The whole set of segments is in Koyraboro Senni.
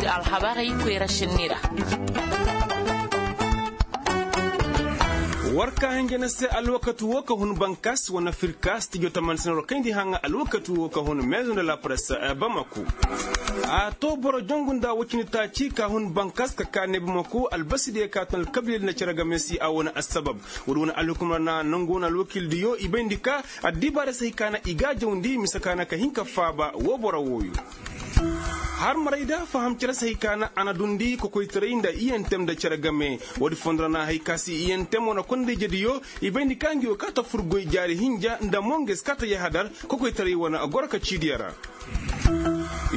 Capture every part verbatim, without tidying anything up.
Alhabarey koyra sinni ra. War ka hinja na se alwakati wo ka hun bankas wane firka stijo tamansin war kayndi haŋa alwakati wo ka hun maison de la presse bamako. A to boro jongu nda wacini taaci ka hun bankas ka ka ne bamako albasi diya ka tun alkabilel na cere game si a wane assabab. Wala wane alhukumar na nangu wane alwakil diyo i bayndi ka addibaare se hay ka na i ga jawndi mise ka na ka hin ka faaba wo boro wooyo. Har maray da faham cere se hay ka na a na dundi kokoytaray nda iyentem nda cere game. Woodi fondo ra na hay ka si iyentem wane kondey jediyo i bayndi ka ngi wo kaata furgoy jaari hinja nda monges kaata yahadar kokoytaray wane goro ka ciidiya ra.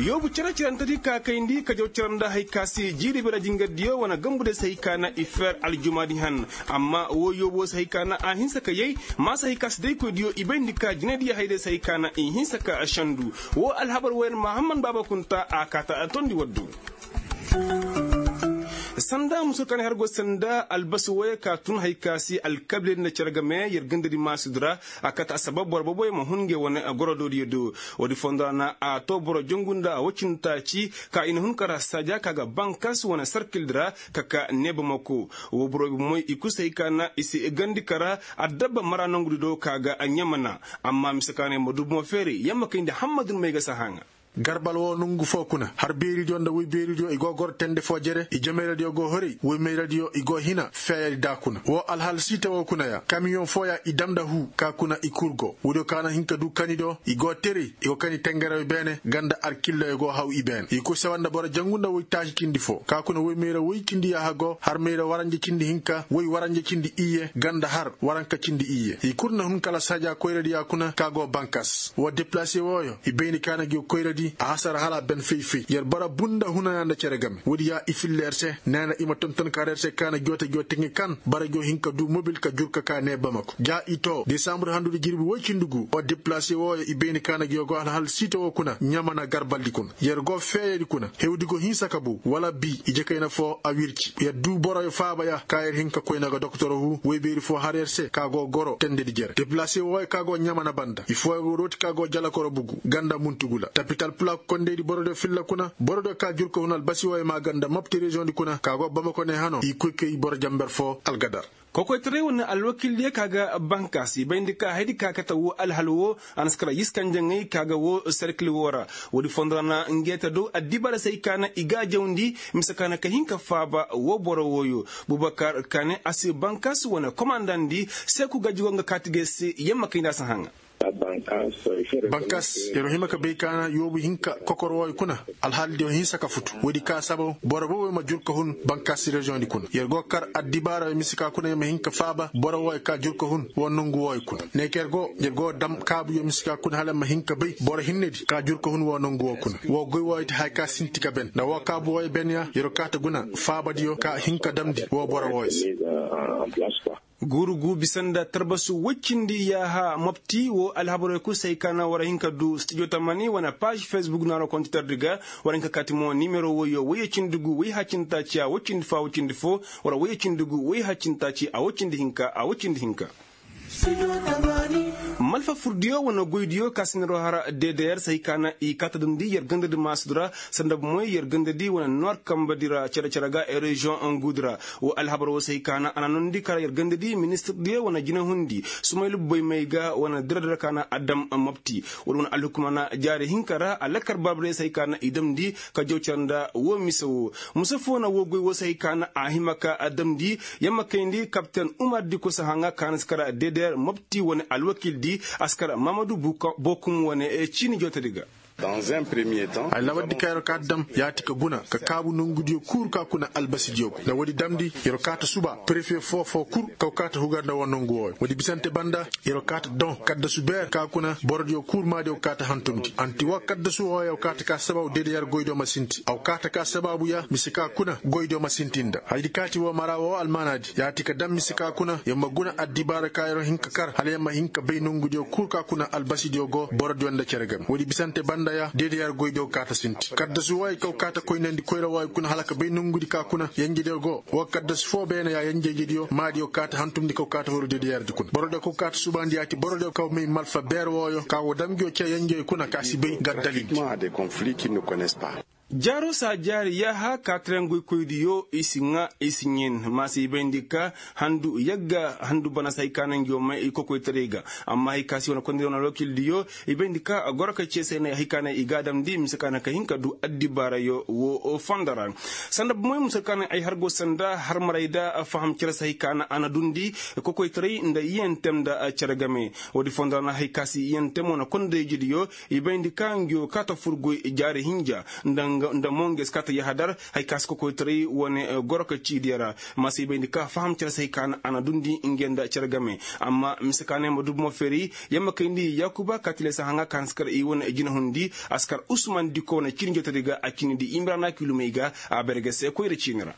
Yoobu cere cerantedi ka kayndi ka jaw cere nda hay ka si jiiri bira jingardiyo wane gambude se hay ka na i feer aljumaadi han. Amma woo yoobu woo se hay ka na a hinsa ka yay. Maa se hay ka si daykoydiyo i bayndi ka jinaydiyo hayday se hay ka na i hinsa ka sendu. Woo alhabar wooyaŋ mahamman baaba kunta a kaata tondi waddu. Sanda muso ka na har go sanda albasi wooyo ka tun hay ka si alkabiledi nda cere game yer gandadi maasudi ra. A kate assabab boro boboyo ma hun ngey wane gorodoodiyo do. Woodi fondo ra na a to boro jongu nda a woy cindi taaci ka i na hun kara saaja ka ga bankas wane sarkildi ra ka ka neeba mako. Woo boro boboyo i kul se hay ka na i si gandi kara addabba mara nongudi do ka ga ɲamana. Amma mise ka na yer ma du bomo feeri yer ma kayndi hammadun may ga si a haŋa. Garbal woo nongu foo kuna har beeridiyo nda woy beeridiyo i go goro tende foo jere i jemayradiyo go horay woy mayradiyo i go hina feeyadi daa kuna woo alhal siita woo kuna ya kamiyoŋ fooya i dam nda huu ka kuna i kul go woodiyo ka na hin ka du kani do i go teri i go kani tengerew beene ganda alkilloyo go haw i beene i kul sawa nda boro jangu nda woy taaci cindi foo ka kuna woy mayra woy cindi yaaha go har mayra waranja cindi hinka woy waranja cindi iyye ganda har waranka cindi iyye i kul na hun kala saaja koyradi ya kuna ka go bankas woo deplaase wooyo i bayni ka na gi koyradi a hasara hala a ben fay-fay yer bara bunda hunaya nda cere game woodi ya i filla yer se neena i ma tonton ka ra yer se ka na joote joo teŋe kan bara joo hin ka du mobil ka jur ka ka nee bamako ja i too desambur handudi jirbi woy cindi gu woo deplaase wooyo i bayni ka na gi yoo go alhal siita woo kuna ɲamana garbaldi kuna yer go feeyadi kuna hewdi go hinsa ka buu wala bii ije kayna foo a wirci yer du boroyo faabaya ka yer hin ka koyna ga doktor huu woy beeri foo har yer se ka go goro tendedi jere deplaase wooyo ka go ɲamana banda i fooyo go dooti ka go jalakoro bugu ganda muntugula tapital pulak kondeydi borodiyo filla kuna borodiyo ka jur ka hun albasi wooyo maa ganda mopti reziyoŋdi kuna ka go bamako ne hano i koy kay boro jamber foo algadar kokoytaray wane alwakildiyo ka ga bankas i bayndi ka haydi ka kate woo alhal woo a na si kara yiskanjaŋey ka ga woo serkil woo ra woodi fondo ra na ngeeta do addibaara se hay ka na i ga a jawndi mise ka na ka hin ka faaba woo boro wooyo bubakar kane a si bankas wane komandandi seeku gajji go nga kaati ga se yamma kayndi a si haŋa bankas yer hima ka bay ka na yoobu hinka kokor wooyo kuna alhaaldiyo hinsa ka futu woodi ka sabaw boro boboyo ma jur ka hun bankas reziyoŋdi kuna yer go kar addibaara mise ka kuna yer ma hin ka faaba boro wooyo ka jur ka hun woo nongu wooyo kuna ne ka yer go yer go dam kaabuyo mise ka kuna hala yer ma hin ka bay boro hinnedi ka jur ka hun woo nongu woo kuna woo goy wooyo ti haya ka sinti ka ben nda woo kaabu wooyo ben ya yer go kaata guna faabadiyo ka hin ka damndi woo boro wooyo se guuru guu bisa nda tarbasu woy cindi yaaha mopti woo alhabaroo kul se hay ka na war hin ka duu stijo tamani wane paaz fesbuk naaroo kontitardi ga war hin ka kaati mo nimero woyyo woyye cindi guu woy hacintaaci a woy cindi foo a woy cindi foo war woyye cindi guu woy hacintaaci a woy cindi hinka a woy cindi hinka malfa furdiyo wane goydiyo ka si neroo har deedeyer se hay ka na i kaata damndi yer gandadi maasudi ra sanda bomoy yer gandadi wane noir kambadi ra cere-cere ga e reziyoŋ anguudi ra woo alhabar woo se hay ka na a na noondi kara yer gandadi ministirdiyo wane jinahundi sumaylu boymay ga wane dira-dira ka na a dam mopti wala wane alhukuma na jaari hinka ra a lakkar baabadiyo se hay ka na i damndi ka jaw cere nda woo mise woo mise foo na woo goy woo se hay ka na a hima ka a damndi yamma kayndi kapten umar diko sahaŋa ka na si kara deedeyer mopti wane alwakildi a si kara mamadu bokum wane ciini jootedi ga ay lawardi ka yeroo kaata dam yaati ka guna ka kaabu nongudiyo kul ka kuna albasidiyo go nda woodi damndi yeroo kaata suba perefe foo-foo kul kaw kaata hugar nda woo nongu wooyo woodi bisante banda yeroo kaata doŋ kaddasu beer ka kuna borodiyo kul maadiyo kaata hantumndi anti woo kaddasu wooyo kaata ka sababu deedeyer goydiyo ma sinti aw kaata ka sababu ya mise ka kuna goydiyo ma sinti nda hayadi kaati woo mara woo almaanaadi yaati ka dam mise ka kuna yer ma guna addibaara ka yeroo hin ka kar hala yer ma hin ka bay nongudiyo kul ka kuna albasidiyo go borodiyo nda cere game woodi bisante banda ya deedeyer goydiyo kaata sinti kaddasu wooyo kaw kaata koynandi koyra wooyo kuna hala ka bay nongudi ka kuna yenjediyo go woo kaddasu foo beene ya yenjediyo maadiyo kaata hantumndi kaw kaata huru deedeyerdi kuna borodiyo kaw kaata subaandi yaati borodiyo kaw may malfa beer wooyo ka woo dam ngiyo cee yenjey kuna ka si bay gaddalindi Jaaro saa jaari yaaha kaatarangoy koydiyo i si ŋaa i si ɲen maasa i bayndi ka handu yagga handu bana se hay ka na ngi wo may i kokoytaray ga. Amma hay ka se wane kondira wane alwakildiyo i bayndi ka goro ka ceesay na hay ka na i ga a damndi mise ka na ka hin ka du addibaarayo wo fondo ra. Sanda bomoy mise ka na ay har go sanda har maray da faham cere se hay ka na a na dundi kokoytaray nda iyantem nda cere game. Woodi fondo ra na hay ka se iyantem wane kondira ijidiyo i bayndi ka ngi wo kaata furgoy jaari hinja nda monges kaata yahadar. Hay ka si kokoytaray wane goro ka ciidiya ra. Ma si bayndi ka faham cere se hay ka na a na dundi nge nda cere game. Amma mise ka na yamma dubu mo feeri yamma kayndi yaakuba ka tile se haŋa ka hanse kar i wane jinahundi a si kar usman diko wane ciini jootari ga a ciini di imira na kilumey ga a bare ga se koyra ciini ra.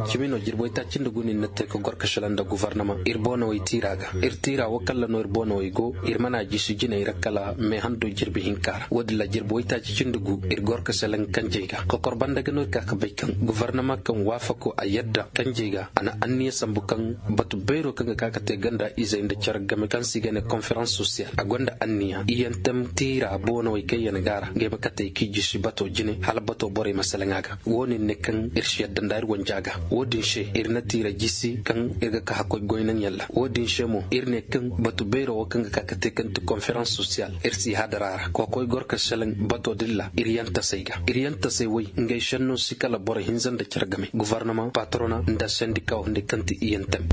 Cimi no jirbi waytaaci nda gu no ir na te ka gor ka selaŋ nda guvarnama ir boonawey tiira ga. Ir tiira wo kaŋ ra no ir boonawey go ir mana jisi jiney ra kala meehando jirbi hinka ra woodin ra jirbi waytaaci cindi gu ir gor ka selaŋ kanjey ga kokor banda ga no ir ka ka bay kaŋ guvarnama kaŋ waafako a yadda kanjey ga a na anniya sambu kaŋ batu beero kaŋ ga ka ka te ganda izey nda care game kaŋ se i ga ne konferans sosiyal a gonda anniya iyantem tiira boonawey kaŋ yaŋ ga a ra ngey ma katey k'i jisi bato jine hala bato borey ma selaŋ a ga. Wo-din ne kaŋ ir si yadda nda ir wanja ga. Wo-din se ir na tiira jisi kaŋ ir ga ka hakkoy goynaŋ yalla wo-din se mo ir ne kaŋ batu beero wo kaŋ ga ka ka te kaŋ ti konferans sosiyal ir si hadar a ra kokoy gor ka selaŋ bato din ra ir yantasey ga ir yantasey woy ngey senno si kala boro hinza nda care game guvarnama patrona nda sendika wo hunday kaŋ ti iyantem.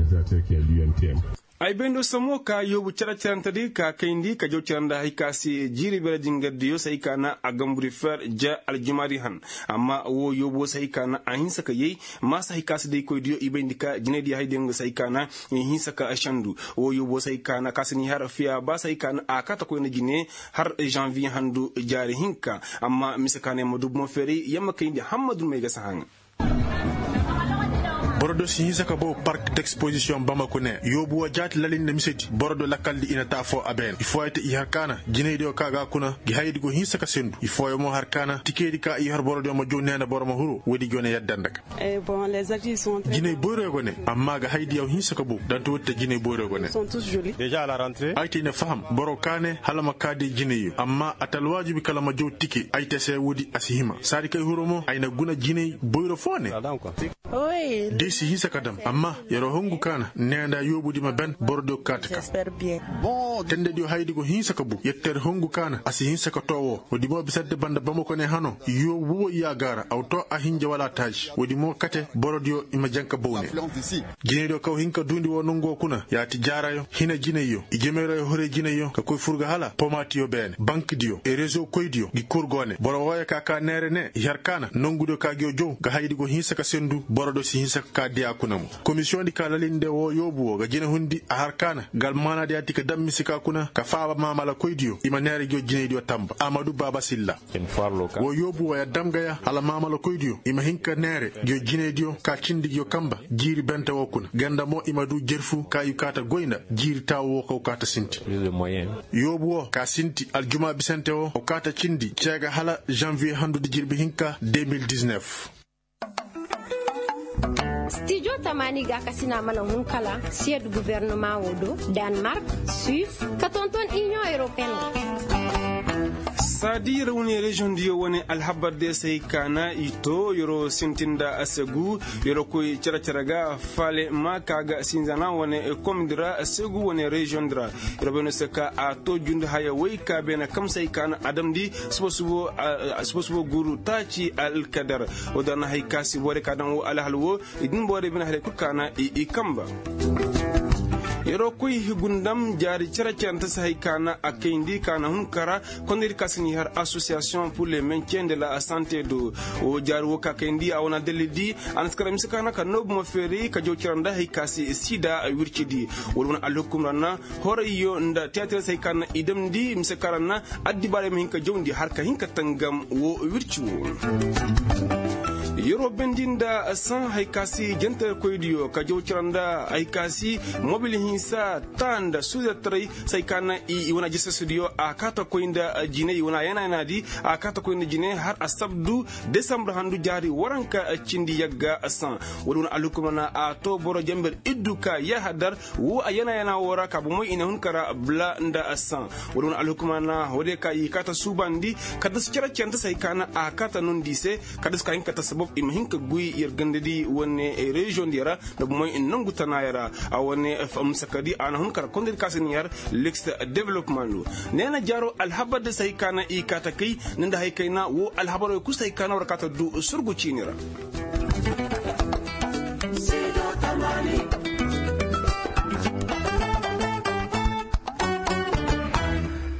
Ay bay ndo samo ka yoobu cere-cerentedi ka kayndi ka jaw cere nda hay ka se jiiri beere jingardiyo se hay ka na a gamburi fer ja aljumaadi han. Amma wo yoobu wo se hay ka na a hinsa ka yay maasa hay ka se day koydiyo i bayndi ka jinaydiyo haydiyo nga se hay ka na i hinsa ka sendu. Wo yoobu wo se hay ka na ka se ni har fiya ba se hay ka na a kaata koyna jine har janviye handu jaari hinka. Amma mise ka na yamma dubu mo feeray yamma kayndi hammadun may ga se haŋa. Boro do si hinsa ka bow park d'exposition bamako ne yoobu wo jaati lalin nda misedi boro do lakaldi i na taa foo a beene i fooyey te i har ka na jinaydiyo ka ga a kuna gi hayadi go hinsa ka sendu i fooyey mo har ka na tikeydi ka i har borodiyo ma jow ne nda boro ma huru woodi go ne yadda nda ga. Jinay boyroyo go ne amma ga hayadiyo hinsa ka bow danti woodi te jinay boyroyo go ne. Ay te i na faham boro ka ne hala ma kaa day jinayyo amma a ta alwaajibi kala ma jow tike ay te se woodi a si hima saadi kay huro mo ay na guna jinay boyro foo ne. Di si hinsa ka dam amma yer'o hungu ka na nee nda yoobudi ma ben borodiyo kaati ka. Tendediyo hayadi go hinsa ka bu yettere hungu ka na a si hinsa ka too woo woodi mo bisante banda bamako ne hano yoobu woy yaagaara aw too a hinja wala taaji woodi mo kate borodiyo i ma janka bow ne. Jinaydiyo kaw hin ka duundi woo nongu woo kuna yaati jaarayo hina jinayyo i jemeerayo horey jinayyo ka koy fur ga hala pomaatiyo beene bankidiyo e rezo koydiyo ngi kur go ne boro wooyo ka kaa neere ne i har ka na nongudiyo ka ngiyo jow ga hayadi go hinsa ka sendu borodiyo si hinsa ka kaa diyaa kuna mo. Komisiyoŋdi ka lalinde woo yoobu woo ga jinahundi a har ka na ga almaanaadiyo yaati ka dam mise ka kuna ka faaba maamalakoydiyo i ma neere ngiyo jinaydiyo tamba amadu baaba silla. Woo yoobu woo ya dam ga ya hala maamalakoydiyo i ma hin ka neere ngiyo jinaydiyo ka cindi ngiyo kamba jiiri bente woo kuna ganda mo i ma duu jerfu ka i kaata goy nda jiiri taawu woo kaw kaata sinti. Yoobu woo ka sinti aljumaa bisante woo o kaata cindi cee ga hala janviye handudi jirbi hinka de mil diznef. Stijo tamaani ga a kasina mana hun kala siyed guvernama woo do, danmark, suis, ka tonton iniyoŋ europeen. Saadi yer wane reziyoŋ diyo wane alhabar de se hay ka na i too yer sintin nda a se gu yer koy cere-cere ga faale ma ka ga sinzana wane komdi ra a se gu wane reziyoŋ di ra. Yer bay no se ka a too jundi haya woy ka beene kamsay ka na a damndi suba suba guuru taaci alkadar. Woo da na hay ka si borey ka daŋ woo alhal woo i din borey bine haley kul ka na i kamba. Yeroo koy gundam jaari cere-cerente se hay ka na a kayndi ka na hun kara kondaydi ka si n'i har asosiyasiyoŋ pur le mencien de la sante do. Woo jaari woo ka kayndi a wane adalli di a na si kara mise ka na ka noobu ma feeri ka jaw cere nda hay ka si siida wirci di. Wala wane alhukum ra na horayyo nda tiyaatir se hay ka na i damndi mise ka ra na addibaarey ma hin ka jawndi har ka hin ka tangam woo wirci woo. Yeroo bendi nda saŋ haya ka si jantarkoydiyo ka jaw cira nda haya ka si mobil hinsa taa nda suudartaray se haya ka naŋ i wane ajasasdiyo a kaa ta koy nda jinay i wane a yana-yanaadi. A kaa ta koy nda jinay har asabdu desambar handu jaari waranka cindi yagga saŋ. Woodi wane alhukuma na a too boro janber iddu ka yahadar woo a yana-yana woo ra ka bomey i na hun ka ra bla nda saŋ. Woodi wane alhukuma na woodiyo ka i kaa ta suubandi kaddas cere-cerente se haya ka naŋ a kaa ta nondi i se kaddas ka hin ka ta sabab i ma hin ka guy yer gandadi wane reziyoŋ diyo ra nda bomey nongu tanaaya ra. A wane musakadi a na hun ka ra kondaydi ka se na yar liks development do. Neena jaaro alhabar di se haya ka naŋ i kaa ta kay ni nda haya kayna woo alhabaroo kul se haya ka naŋ war kaa ta du surgu ciini ra.